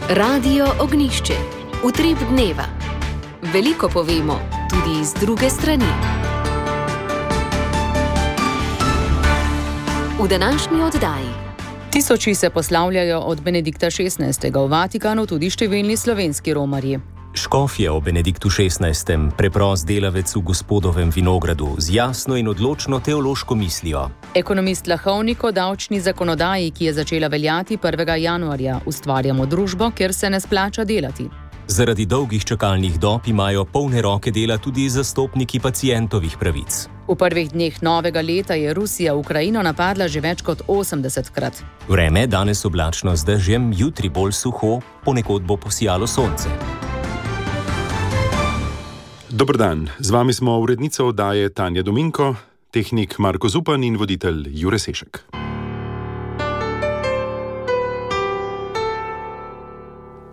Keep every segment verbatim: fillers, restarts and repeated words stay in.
Radio Ognišče, utrip dneva. Veliko povemo, tudi iz druge strani. V današnji oddaji. Tisoči se poslavljajo od Benedikta šestnajstega v Vatikanu, tudi številni slovenski romarji. Škof je o Benediktu šestnajstem preprost delavec v Gospodovem vinogradu z jasno in odločno teološko mislijo. Ekonomist Lahovnik o davčni zakonodaji, ki je začela veljati prvega januarja, ustvarjamo družbo, kjer se ne splača delati. Zaradi dolgih čakalnih dob imajo polne roke dela tudi zastopniki pacientovih pravic. V prvih dneh novega leta je Rusija Ukrajino napadla že več kot osemdesetkrat. Vreme danes oblačno z dežjem, jutri bolj suho, ponekod bo posijalo sonce. Dober dan, z vami smo urednica oddaje Tanja Dominko, tehnik Marko Zupan in voditelj Jure Sešek.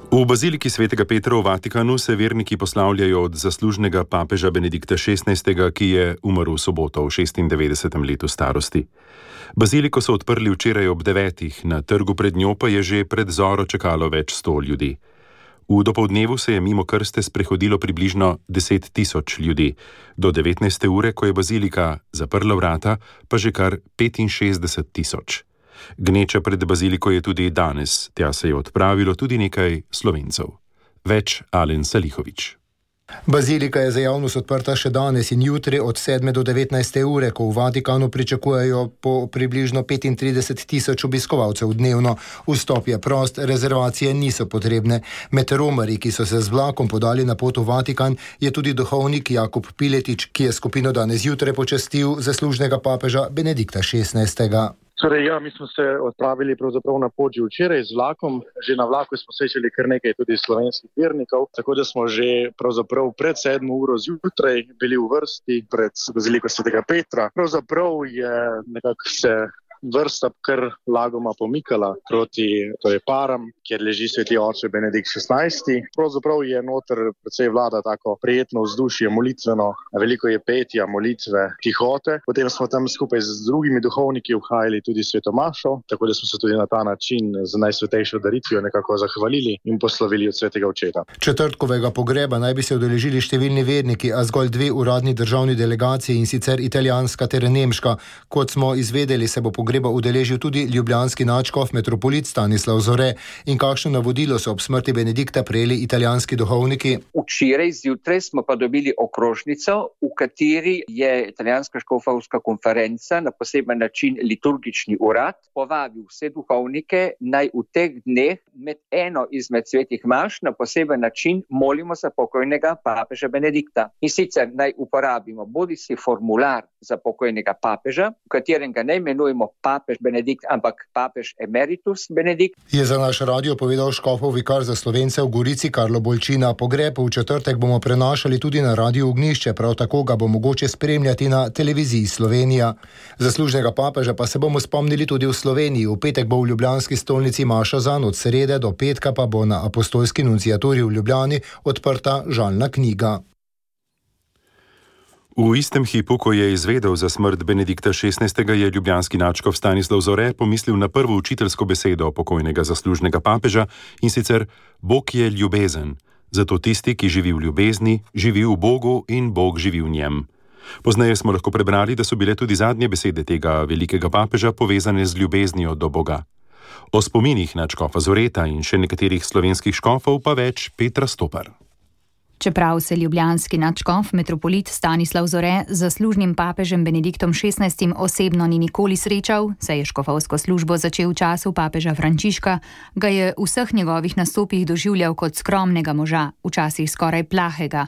V baziliki svetega Petra v Vatikanu se verniki poslavljajo od zaslužnega papeža Benedikta šestnajstega, ki je umrl v soboto v šestindevetdesetem letu starosti. Baziliko so odprli včeraj ob devetih, na trgu pred njo pa je že pred zoro čakalo več sto ljudi. V dopoldnevu se je mimo krste sprehodilo približno deset tisoč ljudi. Do devetnajste ure, ko je bazilika zaprla vrata, pa že kar petinšestdeset tisoč. Gneča pred baziliko je tudi danes, tja se je odpravilo tudi nekaj Slovencev. Več Alen Salihovič. Bazilika je za javnost odprta še danes in jutri od sedme do devetnajste ure, ko v Vatikanu pričakujejo po približno petintrideset tisoč obiskovalcev dnevno. Vstop je prost, rezervacije niso potrebne. Med romarji, ki so se z vlakom podali na pot v Vatikan, je tudi duhovnik Jakub Piletič, ki je skupino danes jutre počastil zaslužnega papeža Benedikta šestnajstega. Torej, ja, mi smo se odpravili pravzaprav na pot že včeraj z vlakom. Že na vlaku smo srečali kar nekaj tudi slovenskih vernikov, tako da smo že pravzaprav pred sedmo uro zjutraj bili v vrsti pred baziliko svetega Petra. Pravzaprav je nekako se vrsta kar lagoma pomikala proti torej param, kjer leži sveti oče Benedikt šestnajsti. Pravzaprav je noter precej vlada tako prijetno vzdušje, molitveno, veliko je petja, molitve, tihote. Potem smo tam skupaj z drugimi duhovniki obhajali tudi sveto mašo, tako da smo se tudi na ta način z najsvetejšo daritvijo nekako zahvalili in poslovili od svetega očeta. Četrtkovega pogreba naj bi se udeležili številni verniki, a zgolj dve uradni državni delegaciji, in sicer italijanska ter nemška. Kot smo izvedeli, se bo pogreba udeležil tudi ljubljanski nadškof metropolit Stanislav Zore. In kakšno navodilo so ob smrti Benedikta prejeli italijanski duhovniki? Včeraj zjutraj smo pa dobili okrožnico, v kateri je italijanska škofovska konferenca na poseben način liturgični urad povabil vse duhovnike, naj v teh dneh med eno izmed svetih maš na poseben način molimo za pokojnega papeža Benedikta. In sicer naj uporabimo bodisi formular za pokojnega papeža, v katerem ga ne imenujemo papež Benedikt, ampak papež emeritus Benedikt. Je za naš radio povedal škofov vikar za Slovence v Gorici Karlo Bolčina. Pogreb v četrtek bomo prenašali tudi na Radio Ognišče, prav tako ga bo mogoče spremljati na televiziji Slovenija. Zaslužnega papeža pa se bomo spomnili tudi v Sloveniji. V petek bo v ljubljanski stolnici maša zanj, od srede do petka pa bo na apostolski nunciaturi v Ljubljani odprta žalna knjiga. V istem hipu, ko je izvedel za smrt Benedikta šestnajstega, je ljubljanski nadškof Stanislav Zore pomislil na prvo učiteljsko besedo pokojnega zaslužnega papeža, in sicer: Bog je ljubezen. Zato tisti, ki živi v ljubezni, živi v Bogu in Bog živi v njem. Pozneje smo lahko prebrali, da so bile tudi zadnje besede tega velikega papeža povezane z ljubeznijo do Boga. O spominih nadškofa Zoreta in še nekaterih slovenskih škofov pa več Petra Stopar. Čeprav se ljubljanski nadškof metropolit Stanislav Zore z zaslužnim papežem Benediktom šestnajstim osebno ni nikoli srečal, saj je škofovsko službo začel v času papeža Frančiška, ga je v vseh njegovih nastopih doživljal kot skromnega moža, včasih skoraj plahega.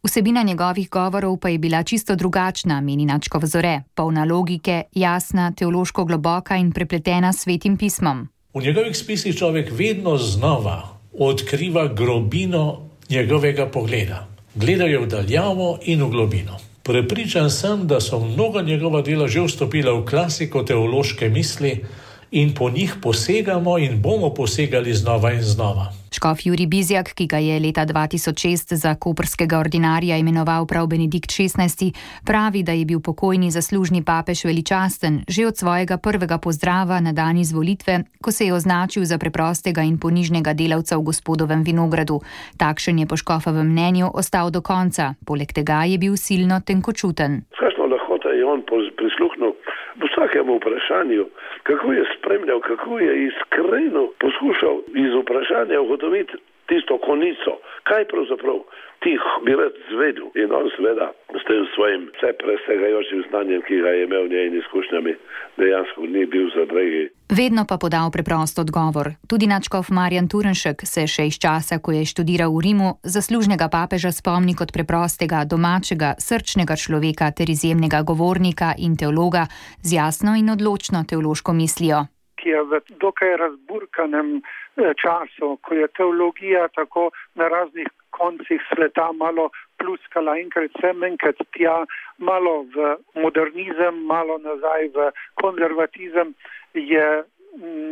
Vsebina njegovih govorov pa je bila čisto drugačna, meni nadškof Zore, polna logike, jasna, teološko globoka in prepletena s svetim pismom. V njegovih spisih človek vedno znova odkriva globino njegovega pogleda. Gledal je v daljavo in v globino. Prepričan sem, da so mnoga njegova dela že vstopila v klasiko teološke misli in po njih posegamo in bomo posegali znova in znova. Škof Jurij Bizjak, ki ga je leta dva tisoč šest za koprskega ordinarja imenoval prav Benedikt šestnajsti, pravi, da je bil pokojni zaslužni papež veličasten že od svojega prvega pozdrava na dan izvolitve, ko se je označil za preprostega in ponižnega delavca v Gospodovem vinogradu. Takšen je po škofovem mnenju ostal do konca, poleg tega je bil silno tenkočuten. Kakšno lahkota je on prisluhnil v vsakem vprašanju, kako je spremljal, kako je iskreno poskušal iz vprašanja ugotoviti tisto konico, kaj pravzaprav ti bi rad zvedel. In on seveda s tem svojim vse presegajočim znanjem, ki ga je imel v njej in izkušnjami, dejansko ni bil zadregi. Vedno pa podal preprost odgovor. Tudi nadškof Marjan Turnšek se še iz časa, ko je študiral v Rimu, zaslužnega papeža spomni kot preprostega, domačega, srčnega človeka ter izjemnega govornika in teologa z jasno in odločno teološko mislijo. Ki je v dokaj razburkanem času, ko je teologija tako na raznih koncih sveta malo pluskala enkrat sem, enkrat tja, malo v modernizem, malo nazaj v konzervatizem, je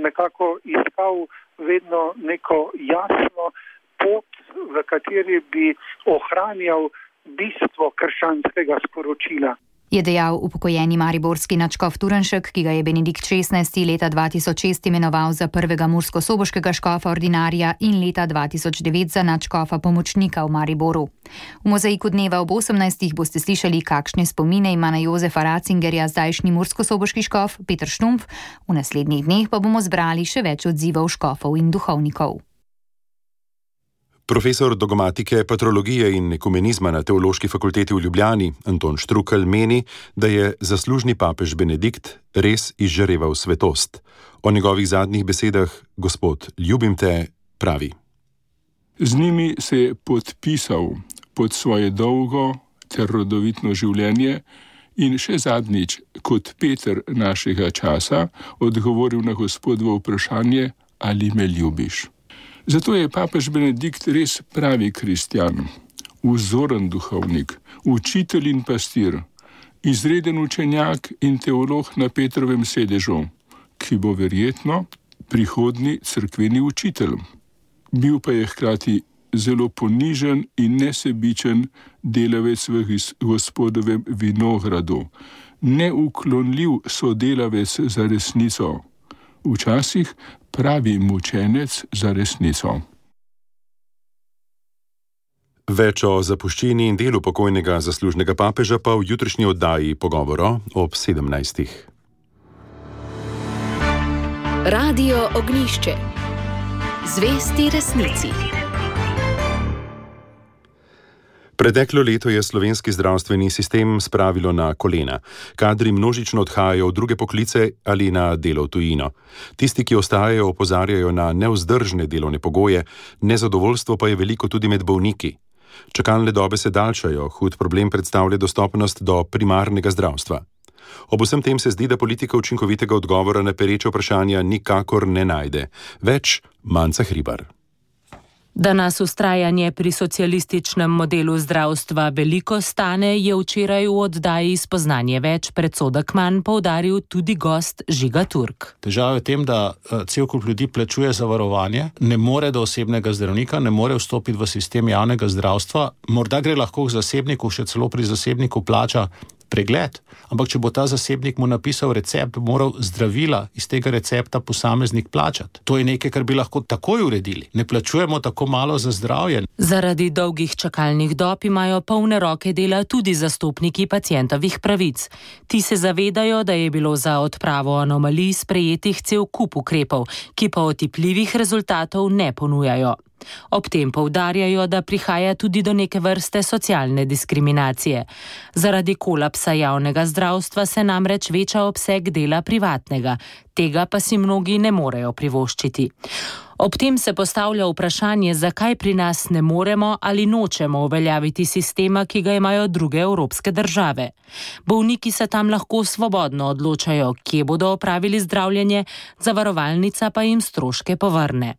nekako iskal vedno neko jasno pot, v kateri bi ohranjal bistvo krščanskega sporočila. Je dejal upokojeni mariborski nadškof Turnšek, ki ga je Benedikt šestnajsti leta dva tisoč šest imenoval za prvega murskosoboškega škofa ordinarja in leta dva tisoč devet za nadškofa pomočnika v Mariboru. V mozaiku dneva ob osemnajstih boste slišali, kakšne spomine ima na Jozefa Ratzingerja zdajšnji murskosoboški škof Peter Štumpf, v naslednjih dneh pa bomo zbrali še več odzivov škofov in duhovnikov. Profesor dogmatike, patrologije in ekumenizma na Teološki fakulteti v Ljubljani, Anton Štrukelj, meni, da je zaslužni papež Benedikt res izžareval svetost. O njegovih zadnjih besedah gospod Ljubim te pravi. Z njimi se je podpisal pod svoje dolgo ter rodovitno življenje in še zadnjič, kot Peter našega časa, odgovoril na Gospodovo vprašanje, ali me ljubiš. Zato je papež Benedikt res pravi kristjan, vzoren duhovnik, učitelj in pastir, izreden učenjak in teolog na Petrovem sedežu, ki bo verjetno prihodnji cerkveni učitelj. Bil pa je hkrati zelo ponižen in nesebičen delavec v Gospodovem vinogradu, neuklonljiv sodelavec za resnico, včasih pravi mučenec za resnico. Več o zapuščini in delu pokojnega zaslužnega papeža pa v jutrišnji oddaji Pogovora ob sedemnajstih. Radio Ognjišče. Zvesti resnici. Preteklo leto je slovenski zdravstveni sistem spravilo na kolena. Kadri množično odhajajo v druge poklice ali na delo v tujino. Tisti, ki ostajajo, opozarjajo na nevzdržne delovne pogoje, nezadovoljstvo pa je veliko tudi med bolniki. Čakalne dobe se daljšajo, hud problem predstavlja dostopnost do primarnega zdravstva. Ob vsem tem se zdi, da politika učinkovitega odgovora na pereče vprašanja nikakor ne najde. Več Manca Hribar. Da nas vztrajanje pri socialističnem modelu zdravstva veliko stane, je včeraj v oddaji Spoznanje več predsodek manj poudaril tudi gost Žiga Turk. Težava je v tem, da cel kup ljudi plačuje zavarovanje, ne more do osebnega zdravnika, ne more vstopiti v sistem javnega zdravstva, morda gre lahko k zasebniku, še celo pri zasebniku plača pregled, ampak če bo ta zasebnik mu napisal recept, bo moral zdravila iz tega recepta posameznik plačati. To je nekaj, kar bi lahko takoj uredili. Ne plačujemo tako malo za zdravje. Zaradi dolgih čakalnih dob imajo polne roke dela tudi zastopniki pacientovih pravic. Ti se zavedajo, da je bilo za odpravo anomalij sprejetih cel kup ukrepov, ki pa otipljivih rezultatov ne ponujajo. Ob tem poudarjajo, da prihaja tudi do neke vrste socialne diskriminacije. Zaradi kolapsa javnega zdravstva se namreč veča obseg dela privatnega, tega pa si mnogi ne morejo privoščiti. Ob tem se postavlja vprašanje, zakaj pri nas ne moremo ali nočemo uveljaviti sistema, ki ga imajo druge evropske države. Bolniki se tam lahko svobodno odločajo, kje bodo opravili zdravljenje, zavarovalnica pa jim stroške povrne.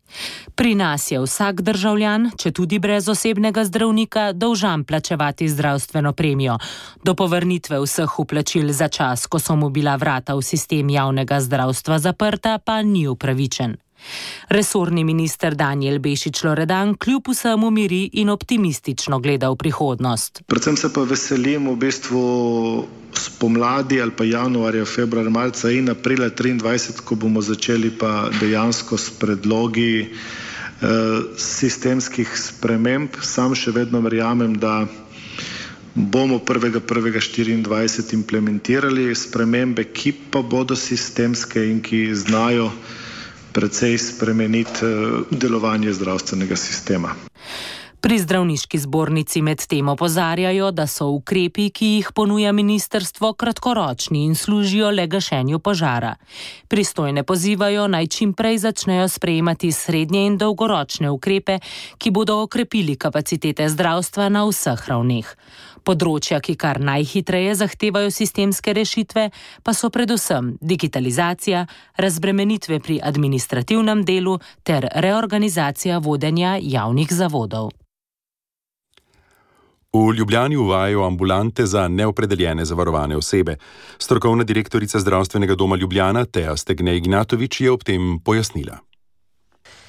Pri nas je vsak državljan, če tudi brez osebnega zdravnika, dolžan plačevati zdravstveno premijo. Do povrnitve vseh vplačil za čas, ko so mu bila vrata v sistem javnega zdravstva zaprta, pa ni upravičen. Resorni minister Danijel Bešič-Loredan kljub vsemu miri in optimistično gleda v prihodnost. Predvsem se pa veselim v bistvu spomladi ali pa januarja, februarja, marca in aprila triindvajset, ko bomo začeli pa dejansko s predlogi eh, sistemskih sprememb. Sam še vedno verjamem, da bomo prvega prvega štiriindvajset implementirali spremembe, ki pa bodo sistemske in ki znajo precej spremeniti delovanje zdravstvenega sistema. Pri zdravniški zbornici med tem opozarjajo, da so ukrepi, ki jih ponuja ministrstvo, kratkoročni in služijo le gašenju požara. Pristojne pozivajo, naj čim prej začnejo sprejemati srednje in dolgoročne ukrepe, ki bodo okrepili kapacitete zdravstva na vseh ravneh. Področja, ki kar najhitreje zahtevajo sistemske rešitve, pa so predvsem digitalizacija, razbremenitve pri administrativnem delu ter reorganizacija vodenja javnih zavodov. V Ljubljani uvajajo ambulante za neopredeljene zavarovane osebe. Strokovna direktorica Zdravstvenega doma Ljubljana Teja Stegne Ignatovič je ob tem pojasnila.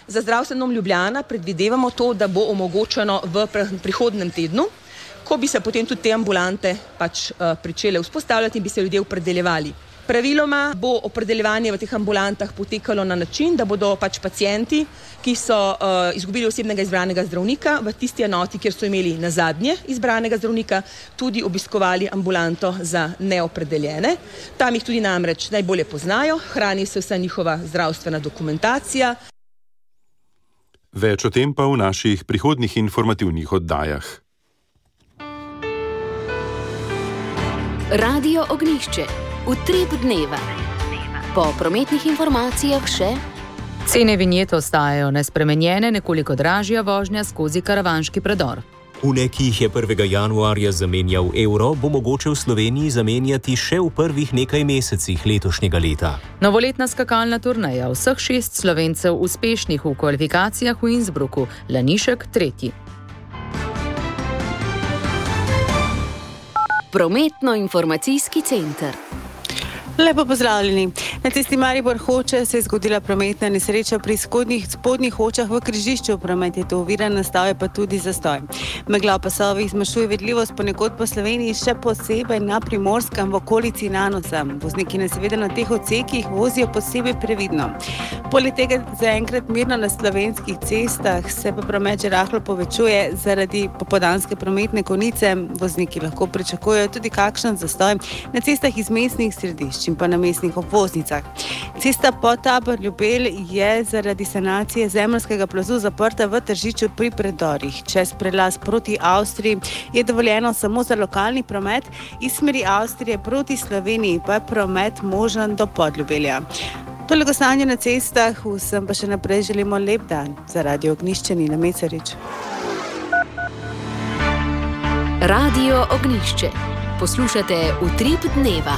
Za Zdravstveni dom Ljubljana predvidevamo to, da bo omogočeno v prihodnem tednu, ko bi se potem tudi te ambulante pač uh, pričele vzpostavljati in bi se ljudje opredeljevali. Praviloma bo opredeljevanje v teh ambulantah potekalo na način, da bodo pač pacienti, ki so uh, izgubili osebnega izbranega zdravnika, v tisti enoti, kjer so imeli nazadnje izbranega zdravnika, tudi obiskovali ambulanto za neopredeljene. Tam jih tudi namreč najbolje poznajo, hrani se vsa njihova zdravstvena dokumentacija. Več o tem pa v naših prihodnjih informativnih oddajah. Radio Ognjišče. Utrip dneva. Po prometnih informacijah še: cene vinjet ostajajo nespremenjene, nekoliko dražja vožnja skozi karavanški predor. Une, ki jih je prvega januarja zamenjal evro, bo mogoče v Sloveniji zamenjati še v prvih nekaj mesecih letošnjega leta. Novoletna skakalna turneja, vseh šest Slovencev uspešnih v kvalifikacijah v Innsbrucku, Lanišek tretji. Prometno-informacijski center. Lepo pozdravljeni. Na cesti Maribor-Hoče se je zgodila prometna nesreča pri spodnjih, spodnjih Hočah v križišču. Promet je to oviran, nastal je pa tudi zastoj. Megla v pasovih zmanjšuje vidljivost ponekod po Sloveniji, še posebej na Primorskem v okolici Nanosa. Vozniki na seveda na teh odsekih vozijo posebej previdno. Poleg tega zaenkrat mirno na slovenskih cestah, se pa promet že rahlo povečuje zaradi popoldanske prometne konice. Vozniki lahko pričakujejo tudi kakšen zastoj na cestah iz mestnih središč in pa na mestnih obvoznicah. Cesta Potabor-Ljubelj je zaradi sanacije zemeljskega plazu zaprta v Tržiču pri predorih. Čez prelaz proti Avstriji je dovoljeno samo za lokalni promet, iz smeri Avstrije proti Sloveniji pa je promet možen do Podljubelja. Toliko stanje na cestah, vsem pa še naprej želimo lep dan. Za Radio Ognjišče Nina Mecarič. Radio Ognjišče. Poslušate Utrip dneva.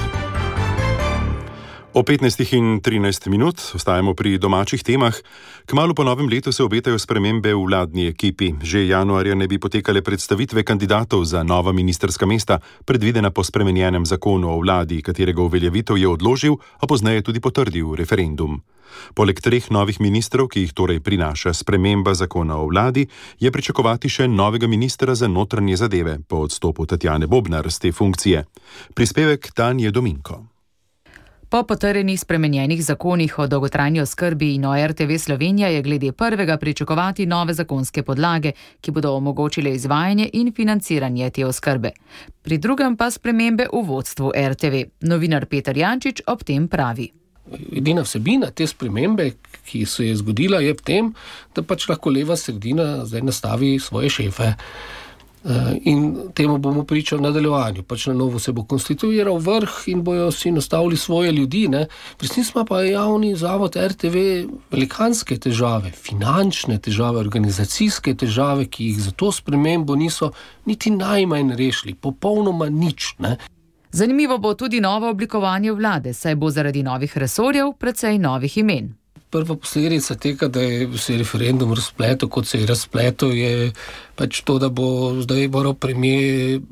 O petnajstih in trinajst minut ostajamo pri domačih temah. Kmalu po novem letu se obetajo spremembe v vladni ekipi. Že januarja ne bi potekale predstavitve kandidatov za nova ministrska mesta, predvidena po spremenjenem zakonu o vladi, katerega uveljavitev je odložil, a pozneje tudi potrdil referendum. Poleg treh novih ministrov, ki jih torej prinaša sprememba zakona o vladi, je pričakovati še novega ministra za notranje zadeve po odstopu Tatjane Bobnar z te funkcije. Prispevek Tanje Dominko. Po potrjenih spremenjenih zakonih o dolgotrajni oskrbi in o R T V Slovenija je glede prvega pričakovati nove zakonske podlage, ki bodo omogočile izvajanje in financiranje te oskrbe. Pri drugem pa spremembe v vodstvu R T V. Novinar Peter Jančič ob tem pravi. Edina vsebina te spremembe, ki se je zgodila, je v tem, da pač lahko leva sredina zdaj nastavi svoje šefe. In temu bomo pričali v nadaljevanju. Pač na novo se bo konstituiral vrh in bojo si nastavili svoje ljudi. Ne? Resnično pa je javni zavod R T V velikanske težave, finančne težave, organizacijske težave, ki jih za to spremembo niso niti najmanj rešili, popolnoma nič. Ne? Zanimivo bo tudi novo oblikovanje vlade, saj bo zaradi novih resorjev precej novih imen. Prva posledica tega, da je se referendum razpletel, kot se je razpletel, je pač to, da bo zdaj moral premier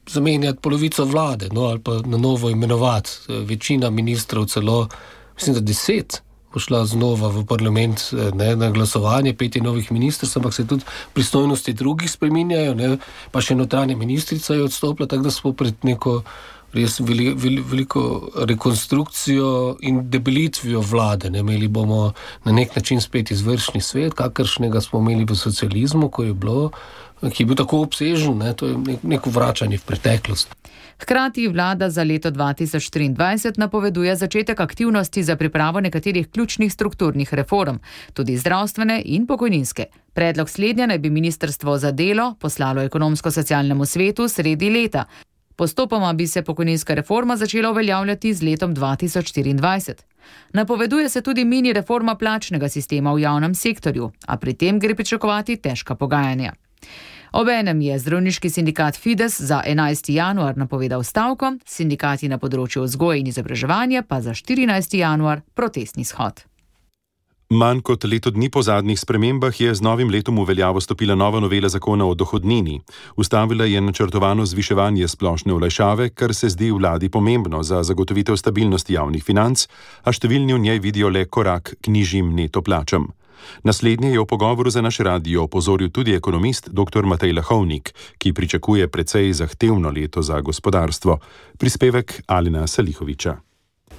zamenjati polovico vlade, no, ali pa na novo imenovati. Večina ministrov, celo, mislim, da deset bo šla znova v parlament ne, na glasovanje, peti novih ministrstv, ampak se tudi pristojnosti drugih spreminjajo, ne, pa še notranja ministrica je odstopila, tako da smo pred neko res veli, veli, veliko rekonstrukcijo in debelitvijo vlade. Ne. Imeli bomo na nek način spet izvršni svet, kakršnega smo imeli v socializmu, ko je bilo, ki je bil tako obsežen, ne, to je nek, neko vračanje v preteklost. Hkrati vlada za leto dva tisoč triindvajset napoveduje začetek aktivnosti za pripravo nekaterih ključnih strukturnih reform, tudi zdravstvene in pokojninske. Predlog slednja naj bi ministrstvo za delo poslalo ekonomsko-socialnemu svetu sredi leta. Postopoma bi se pokojninska reforma začela uveljavljati z letom dva tisoč štiriindvajset. Napoveduje se tudi mini reforma plačnega sistema v javnem sektorju, a pri tem gre pričakovati težka pogajanja. Obenem je zdravniški sindikat Fides za enajsti januar napovedal stavko, sindikati na področju vzgoje in izobraževanja pa za štirinajsti januar protestni shod. Manj kot leto dni po zadnjih spremembah je z novim letom v veljavo stopila nova novela zakona o dohodnini. Ustavila je načrtovano zviševanje splošne olajšave, kar se zdi vladi pomembno za zagotovitev stabilnosti javnih financ, a številni v njej vidijo le korak k nižjim neto plačam. Naslednje je v pogovoru za naš radio opozoril tudi ekonomist dr Matej Lahovnik, ki pričakuje precej zahtevno leto za gospodarstvo. Prispevek Alena Salihoviča.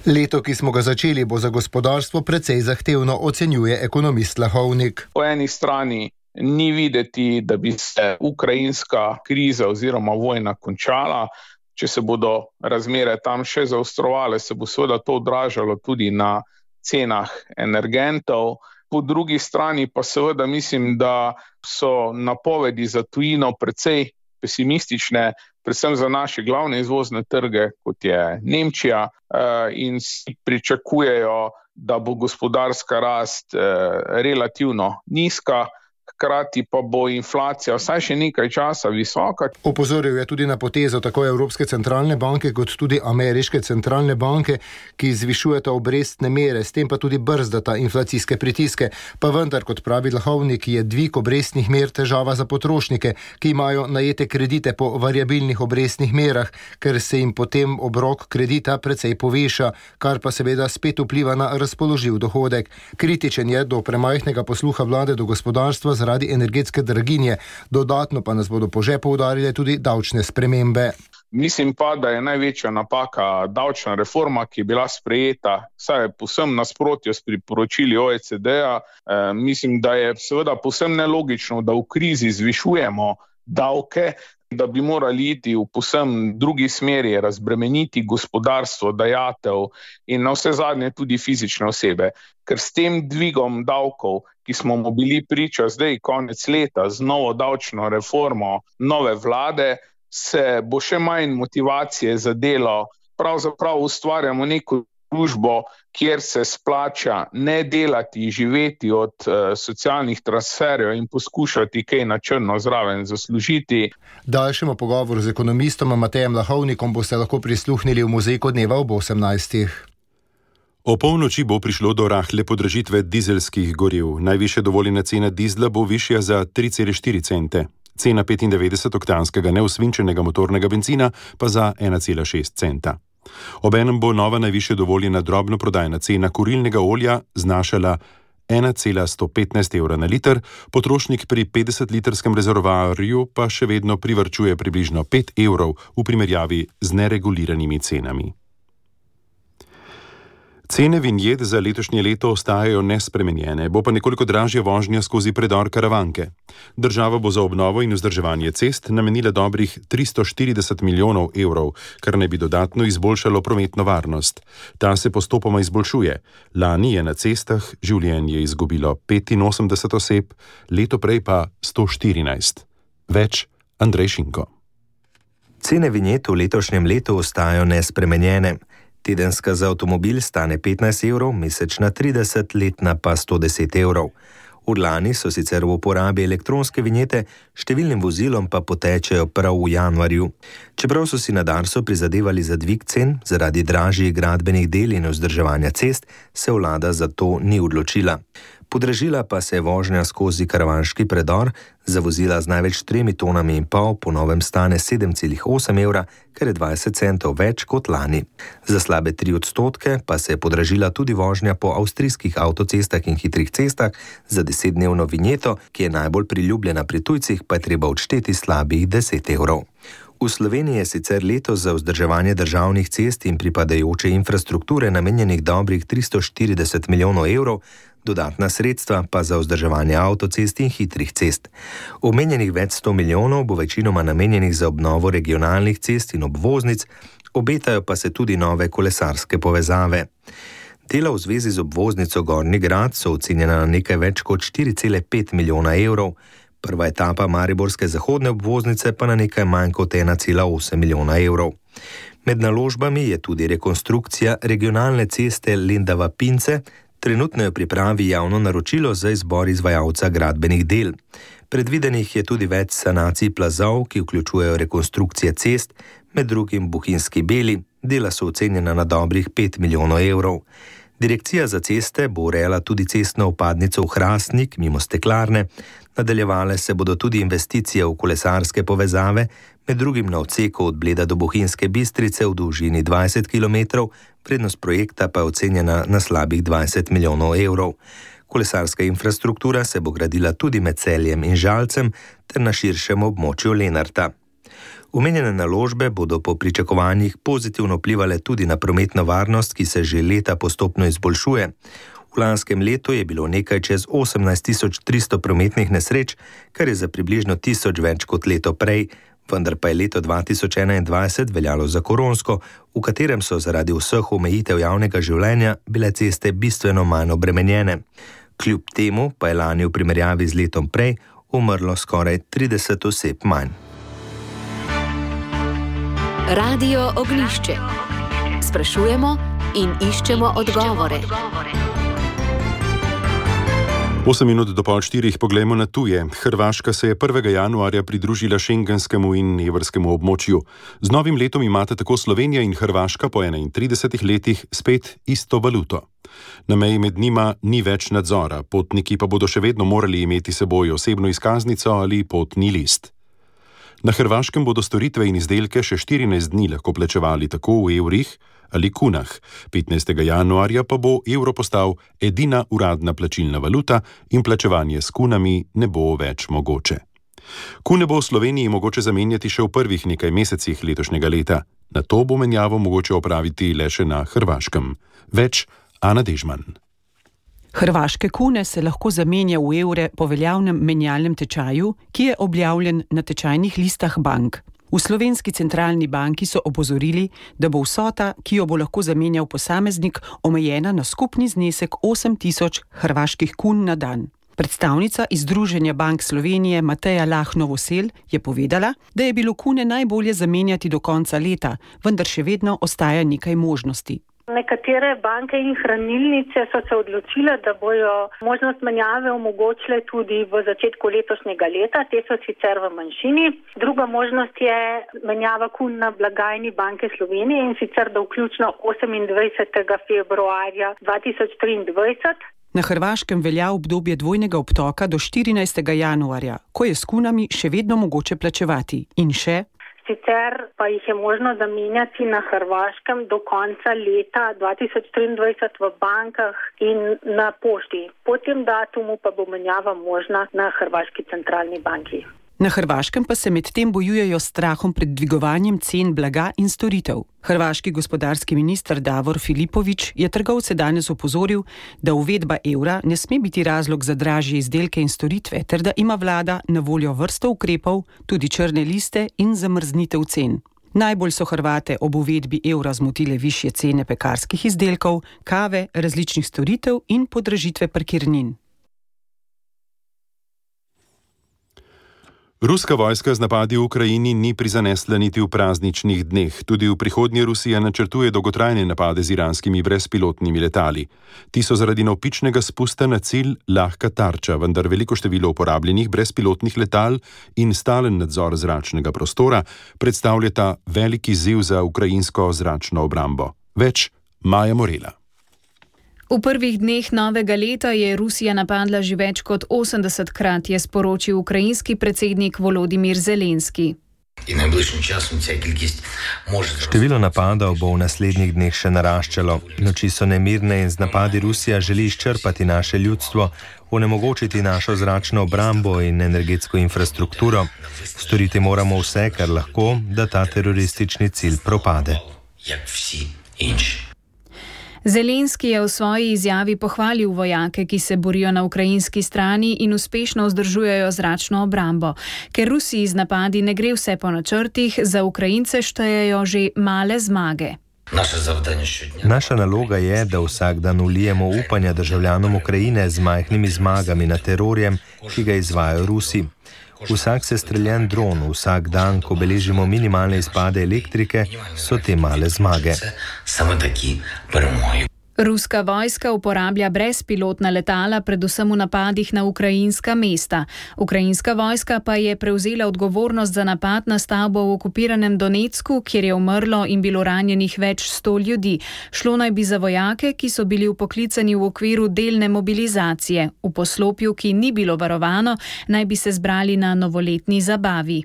Leto, ki smo ga začeli, bo za gospodarstvo precej zahtevno, ocenjuje ekonomist Lahovnik. Po eni strani ni videti, da bi se ukrajinska kriza oziroma vojna končala. Če se bodo razmere tam še zaostrovale, se bo seveda to odražalo tudi na cenah energentov. Po drugi strani pa seveda mislim, da so napovedi za tujino precej pesimistične, predvsem za naše glavne izvozne trge, kot je Nemčija, in si pričakujejo, da bo gospodarska rast relativno nizka, hkrati pa bo inflacija vsaj še nekaj časa visoka. Opozoril je tudi na potezo tako Evropske centralne banke kot tudi Ameriške centralne banke, ki zvišujeta obrestne mere, s tem pa tudi brzdata inflacijske pritiske. Pa vendar, kot pravi Lahovnik, je dvig obrestnih mer težava za potrošnike, ki imajo najete kredite po variabilnih obrestnih merah, ker se jim potem obrok kredita precej poveša, kar pa seveda spet vpliva na razpoložljiv dohodek. Kritičen je do premajhnega posluha vlade do gospodarstva zaradi energetske draginje, dodatno pa nas bodo po žepu udarile tudi davčne spremembe. Mislim pa, da je največja napaka davčna reforma, ki je bila sprejeta, saj je povsem nasprotju s priporočili O E C D-ja. E, mislim, da je seveda povsem nelogično, da v krizi zvišujemo davke, da bi morali iti v povsem drugi smeri, razbremeniti gospodarstvo, dajatev in na vse zadnje tudi fizične osebe. Ker s tem dvigom davkov, ki smo mu bili priča zdaj konec leta z novo davčno reformo nove vlade, se bo še manj motivacije za delo. Pravzaprav ustvarjamo neko družbo, kjer se splača ne delati, živeti od uh, socialnih transferjev in poskušati kaj na črno zraven zaslužiti. Daljšemu pogovoru z ekonomistom Matejem Lahovnikom boste lahko prisluhnili v Muzejku dneva ob osemnajstih. O polnoči bo prišlo do rahle podražitve dizelskih goriv. Najvišja dovoljena cena dizla bo višja za tri cele štiri cente. Cena petindevetdesetoktanskega neosvinčenega motornega bencina pa za ena cela šest centa. Obenem bo nova najvišja dovoljena drobnoprodajna cena kurilnega olja znašala ena cela sto petnajst evra na liter, potrošnik pri petdesetlitrskem rezervoarju pa še vedno privarčuje približno pet evrov v primerjavi z nereguliranimi cenami. Cene vinjet za letošnje leto ostajajo nespremenjene, bo pa nekoliko dražja vožnja skozi predor Karavanke. Država bo za obnovo in vzdrževanje cest namenila dobrih tristo štirideset milijonov evrov, kar naj bi dodatno izboljšalo prometno varnost. Ta se postopoma izboljšuje. Lani je na cestah življenje izgubilo petinosemdeset oseb, leto prej pa sto štirinajst. Več Andrej Šinko. Cene vinjet v letošnjem letu ostajajo nespremenjene. Tedenska za avtomobil stane petnajst evrov, mesečna trideset, letna pa sto deset evrov. Od lani so sicer v uporabi elektronske vinjete, številnim vozilom pa potečejo prav v januarju. Čeprav so si na Darsu prizadevali za dvig cen zaradi dražjih gradbenih del in vzdrževanja cest, se vlada za to ni odločila. Podražila pa se je vožnja skozi karavanški predor, za vozila z največ tremi tonami in pol po novem stane sedem celih osem evra, kar je dvajset centov več kot lani. Za slabe tri odstotke pa se je podražila tudi vožnja po avstrijskih avtocestah in hitrih cestah, za desetdnevno vinjeto, ki je najbolj priljubljena pri tujcih, pa je treba odšteti slabih deset evrov. V Sloveniji je sicer letos za vzdrževanje državnih cest in pripadajoče infrastrukture namenjenih dobrih tristo štirideset milijonov evrov, dodatna sredstva pa za vzdrževanje avtocest in hitrih cest. Omenjenih več sto milijonov bo večinoma namenjenih za obnovo regionalnih cest in obvoznic, obetajo pa se tudi nove kolesarske povezave. Dela v zvezi z obvoznico Gornji Grad so ocenjena na nekaj več kot štiri cele pet milijona evrov, prva etapa mariborske zahodne obvoznice pa na nekaj manj kot ena cela osem milijona evrov. Med naložbami je tudi rekonstrukcija regionalne ceste Lendava-Pince, trenutno je v pripravi javno naročilo za izbor izvajalca gradbenih del. Predvidenih je tudi več sanacij plazov, ki vključujejo rekonstrukcije cest, med drugim Bohinjski Beli, dela so ocenjena na dobrih pet milijonov evrov. Direkcija za ceste bo urejala tudi cestno vpadnico v Hrastnik mimo Steklarne, nadaljevale se bodo tudi investicije v kolesarske povezave, med drugim na odseku od Bleda do Bohinjske Bistrice v dolžini dvajset kilometrov, vrednost projekta pa je ocenjena na slabih dvajset milijonov evrov. Kolesarska infrastruktura se bo gradila tudi med Celjem in Žalcem ter na širšem območju Lenarta. Omenjene naložbe bodo po pričakovanjih pozitivno vplivale tudi na prometno varnost, ki se že leta postopno izboljšuje. V lanskem letu je bilo nekaj čez osemnajst tisoč tristo prometnih nesreč, kar je za približno tisoč več kot leto prej, vendar pa je leto dva tisoč enaindvajset veljalo za koronsko, v katerem so zaradi vseh omejitev javnega življenja bile ceste bistveno manj obremenjene. Kljub temu pa je lani v primerjavi z letom prej umrlo skoraj trideset oseb manj. Radio Oglišče. Sprašujemo in iščemo odgovore. Osem minut do pol štirih poglejmo na tuje. Hrvaška se je prvega januarja pridružila šengenskemu in evrskemu območju. Z novim letom imata tako Slovenija in Hrvaška po enaintridesetih letih spet isto valuto. Na meji med njima ni več nadzora, potniki pa bodo še vedno morali imeti seboj osebno izkaznico ali potni list. Na Hrvaškem bodo storitve in izdelke še štirinajst dni lahko plačevali tako v evrih ali kunah. petnajstega januarja pa bo evro postal edina uradna plačilna valuta in plačevanje s kunami ne bo več mogoče. Kune bo v Sloveniji mogoče zamenjati še v prvih nekaj mesecih letošnjega leta. Na to bo menjavo mogoče opraviti le še na Hrvaškem. Več Ana Dežman. Hrvaške kune se lahko zamenja v evre po veljavnem menjalnem tečaju, ki je objavljen na tečajnih listah bank. V Slovenski centralni banki so opozorili, da bo vsota, ki jo bo lahko zamenjal posameznik, omejena na skupni znesek osem tisoč hrvaških kun na dan. Predstavnica iz Združenja bank Slovenije Mateja Lah-Novosel je povedala, da je bilo kune najbolje zamenjati do konca leta, vendar še vedno ostaja nekaj možnosti. Nekatere banke in hranilnice so se odločile, da bojo možnost menjave omogočile tudi v začetku letošnjega leta, te so sicer v manjšini. Druga možnost je menjava kun na blagajni Banke Slovenije in sicer do vključno osemindvajsetega februarja dva tisoč triindvajset. Na Hrvaškem velja obdobje dvojnega obtoka do štirinajstega januarja, ko je s kunami še vedno mogoče plačevati. In še? Sicer pa jih je možno zamenjati na Hrvaškem do konca leta dva tisoč triindvajset v bankah in na pošti. Po tem datumu pa bo menjava možna na Hrvaški centralni banki. Na Hrvaškem pa se medtem bojujejo s strahom pred dvigovanjem cen blaga in storitev. Hrvaški gospodarski minister Davor Filipović je trgovce danes opozoril, da uvedba evra ne sme biti razlog za dražje izdelke in storitve, ter da ima vlada na voljo vrsto ukrepov, tudi črne liste in zamrznitev cen. Najbolj so Hrvate ob uvedbi evra zmotile višje cene pekarskih izdelkov, kave, različnih storitev in podražitve parkirnin. Ruska vojska z napadi v Ukrajini ni prizanesla niti v prazničnih dneh. Tudi v prihodnje Rusija načrtuje dolgotrajne napade z iranskimi brezpilotnimi letali. Ti so zaradi navpičnega spusta na cilj lahka tarča, vendar veliko število uporabljenih brezpilotnih letal in stalen nadzor zračnega prostora predstavljata veliki izziv za ukrajinsko zračno obrambo. Več Maja Morela. V prvih dneh novega leta je Rusija napadla že več kot osemdesetkrat, je sporočil ukrajinski predsednik Volodimir Zelenski. Število napadov bo v naslednjih dneh še naraščalo. Noči so nemirne in z napadi Rusija želi izčrpati naše ljudstvo, onemogočiti našo zračno obrambo in energetsko infrastrukturo. Storiti moramo vse, kar lahko, da ta teroristični cilj propade. Zelenski je v svoji izjavi pohvalil vojake, ki se borijo na ukrajinski strani in uspešno vzdržujejo zračno obrambo. Ker Rusiji z napadi ne gre vse po načrtih, za Ukrajince štejejo že male zmage. Naša naloga je, da vsak dan vlijemo upanja državljanom Ukrajine z majhnimi zmagami nad terorjem, ki ga izvajajo Rusi. Vsak sestreljen dron, vsak dan, ko beležimo minimalne izpade elektrike, so te male zmage. Ruska vojska uporablja brezpilotna letala, predvsem v napadih na ukrajinska mesta. Ukrajinska vojska pa je prevzela odgovornost za napad na stavbo v okupiranem Donecku, kjer je umrlo in bilo ranjenih več sto ljudi. Šlo naj bi za vojake, ki so bili vpoklicani v okviru delne mobilizacije. V poslopju, ki ni bilo varovano, naj bi se zbrali na novoletni zabavi.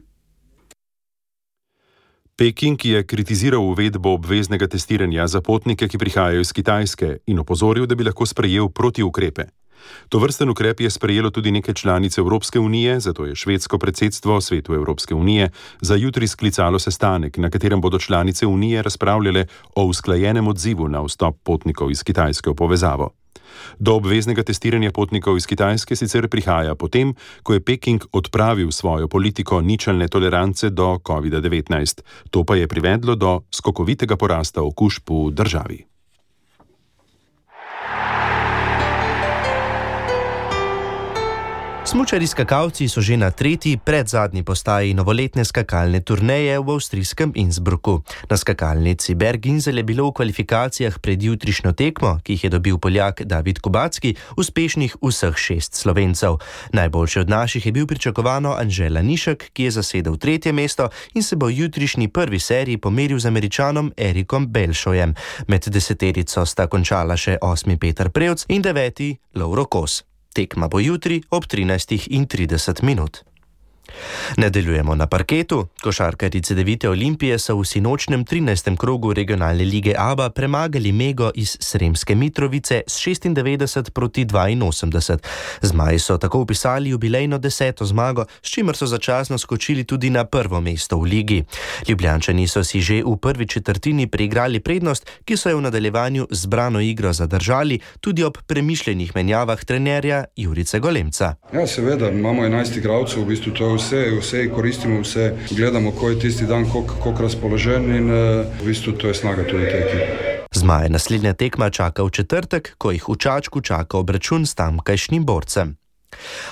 Peking je kritiziral uvedbo obveznega testiranja za potnike, ki prihajajo iz Kitajske, in opozoril, da bi lahko sprejel protiukrepe. Tovrsten ukrep je sprejelo tudi nekaj članic Evropske unije, zato je švedsko predsedstvo Svetu Evropske unije za jutri sklicalo sestanek, na katerem bodo članice unije razpravljale o usklajenem odzivu na vstop potnikov iz Kitajske v povezavo. Do obveznega testiranja potnikov iz Kitajske sicer prihaja potem, ko je Peking odpravil svojo politiko ničelne tolerance do covid devetnajst. To pa je privedlo do skokovitega porasta okužb v državi. Smučarji skakalci so že na tretji predzadnji postaji novoletne skakalne turneje v avstrijskem Innsbrucku. Na skakalnici Berginzel je bilo v kvalifikacijah pred jutrišnjo tekmo, ki jih je dobil Poljak David Kubacki, uspešnih vseh šest Slovencev. Najboljši od naših je bil pričakovano Anžela Nišek, ki je zasedel tretje mesto in se bo v jutrišnji prvi seriji pomeril z Američanom Erikom Belšojem. Med deseterico sta končala še osmi Peter Prevc in deveti Lovro Kos. Tekma bo jutri ob trinajstih trideset minut. Nadaljujemo na parketu. Košarkarji Cedevite Olimpije so v sinočnem trinajstem krogu regionalne lige Aba premagali Mego iz Sremske Mitrovice s šestindevetdeset proti dvainosemdeset. Zmaji so tako upisali jubilejno deseto zmago, s čimer so začasno skočili tudi na prvo mesto v ligi. Ljubljančani so si že v prvi četrtini preigrali prednost, ki so jo v nadaljevanju z zbrano igro zadržali, tudi ob premišljenih menjavah trenerja Jurice Golemca. Ja, seveda, imamo enajst igralcev, v bistvu to Vse, vse koristimo, vse gledamo, ko je tisti dan, koliko razpoložen in v bistvu to je snaga tudi te ekipe. Zmaje naslednja tekma čaka v četrtek, ko jih v Čačku čaka obračun s tamkajšnjim borcem.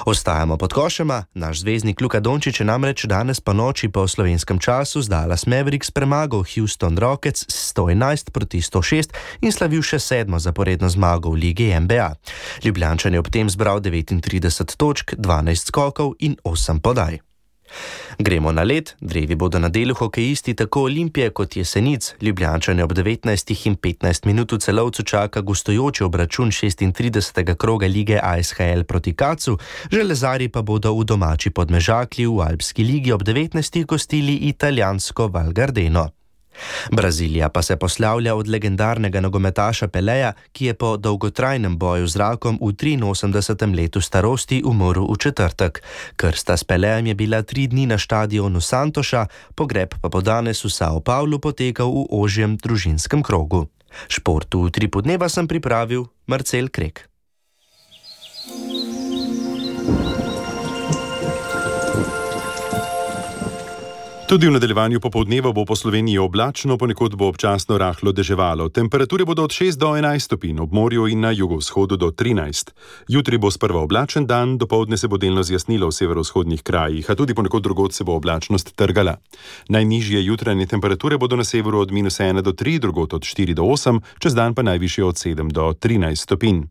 Ostajamo pod košema. Naš zvezdnik Luka Dončić je namreč danes po noči po slovenskem času z Dallas Mavericks premagal Houston Rockets s sto enajst proti sto šest in slavil še sedmo zaporedno zmago v ligi N B A. Ljubljančan je ob tem zbral devetintrideset točk, dvanajst skokov in osem podaj. Gremo na led. Drevi bodo na delu hokejisti tako Olimpije kot Jesenic. Ljubljančane ob devetnajstih in petnajst minut v Celovcu čaka gostujoči obračun šestintridesetega kroga lige A S H L proti Kacu, železari pa bodo v domači Podmežakli v Alpski ligi ob devetnajstih gostili italijansko Val Gardeno. Brazilija pa se poslavlja od legendarnega nogometaša Peleja, ki je po dolgotrajnem boju z rakom v triinosemdesetem letu starosti umrl v četrtek. Krsta s Pelejem je bila tri dni na štadionu Santoša, pogreb pa bo danes v Sao Paulo potekal v ožjem družinskem krogu. Šport v Utripu dneva sem pripravil Marcel Krek. Tudi v nadaljevanju popoldneva bo po Sloveniji oblačno, ponekod bo občasno rahlo deževalo. Temperature bodo od šest do enajst stopinj, ob morju in na jugovzhodu do trinajst. Jutri bo sprva oblačen dan, dopoldne se bo delno zjasnilo v severovzhodnih krajih, a tudi ponekod drugod se bo oblačnost trgala. Najnižje jutranje temperature bodo na severu od minus ena do tri, drugod od štiri do osem, čez dan pa najvišje od sedem do trinajst stopinj.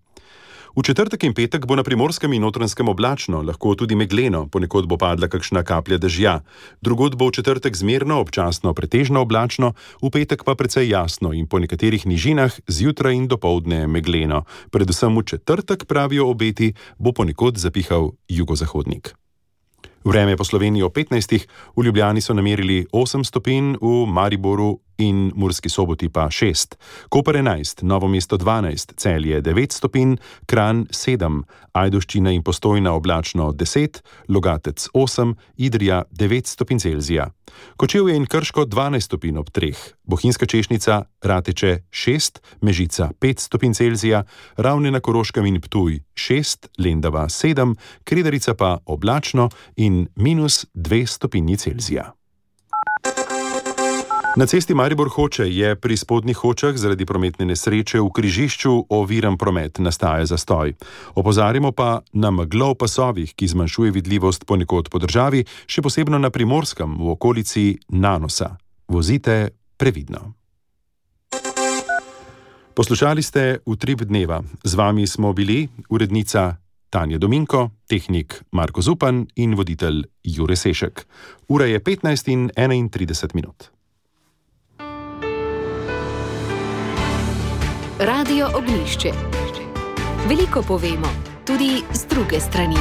V četrtek in petek bo na Primorskem in Notranjskem oblačno, lahko tudi megleno, ponekod bo padla kakšna kaplja dežja. Drugod bo v četrtek zmerno, občasno pretežno oblačno, v petek pa precej jasno in po nekaterih nižinah zjutraj in dopoldne megleno. Predvsem v četrtek, pravijo obeti, bo ponekod zapihal jugozahodnik. Vreme po Sloveniji o petnajstih, v Ljubljani so namerili osem stopinj, v Mariboru in Murski Soboti pa šest. Koper enajst, Novo mesto dvanajst, Celje devet stopinj, Kranj sedem, Ajdovščina in Postojna oblačno deset, Logatec osem, Idrija devet stopinj Celzija. Kočevje in Krško dvanajst stopinj ob treh, Bohinjska Češnica, Rateče šest, Mežica pet stopinj Celzija, Ravne na Koroškem in Ptuj šest, Lendava sedem, Kredarica pa oblačno in minus dve stopinji Celzija. Na cesti Maribor-Hoče je pri spodnjih Hočah zaradi prometne nesreče v križišču oviran promet, nastaja zastoj. Opozarjamo pa na meglo v pasovih, ki zmanjšuje vidljivost ponekod po državi, še posebno na Primorskem v okolici Nanosa. Vozite previdno. Poslušali ste Utrip dneva. Z vami smo bili urednica Tanja Dominko, tehnik Marko Zupan in voditelj Jure Sešek. Ura je petnajst in enaintrideset minut. Radio Ognjišče. Veliko povemo, tudi z druge strani.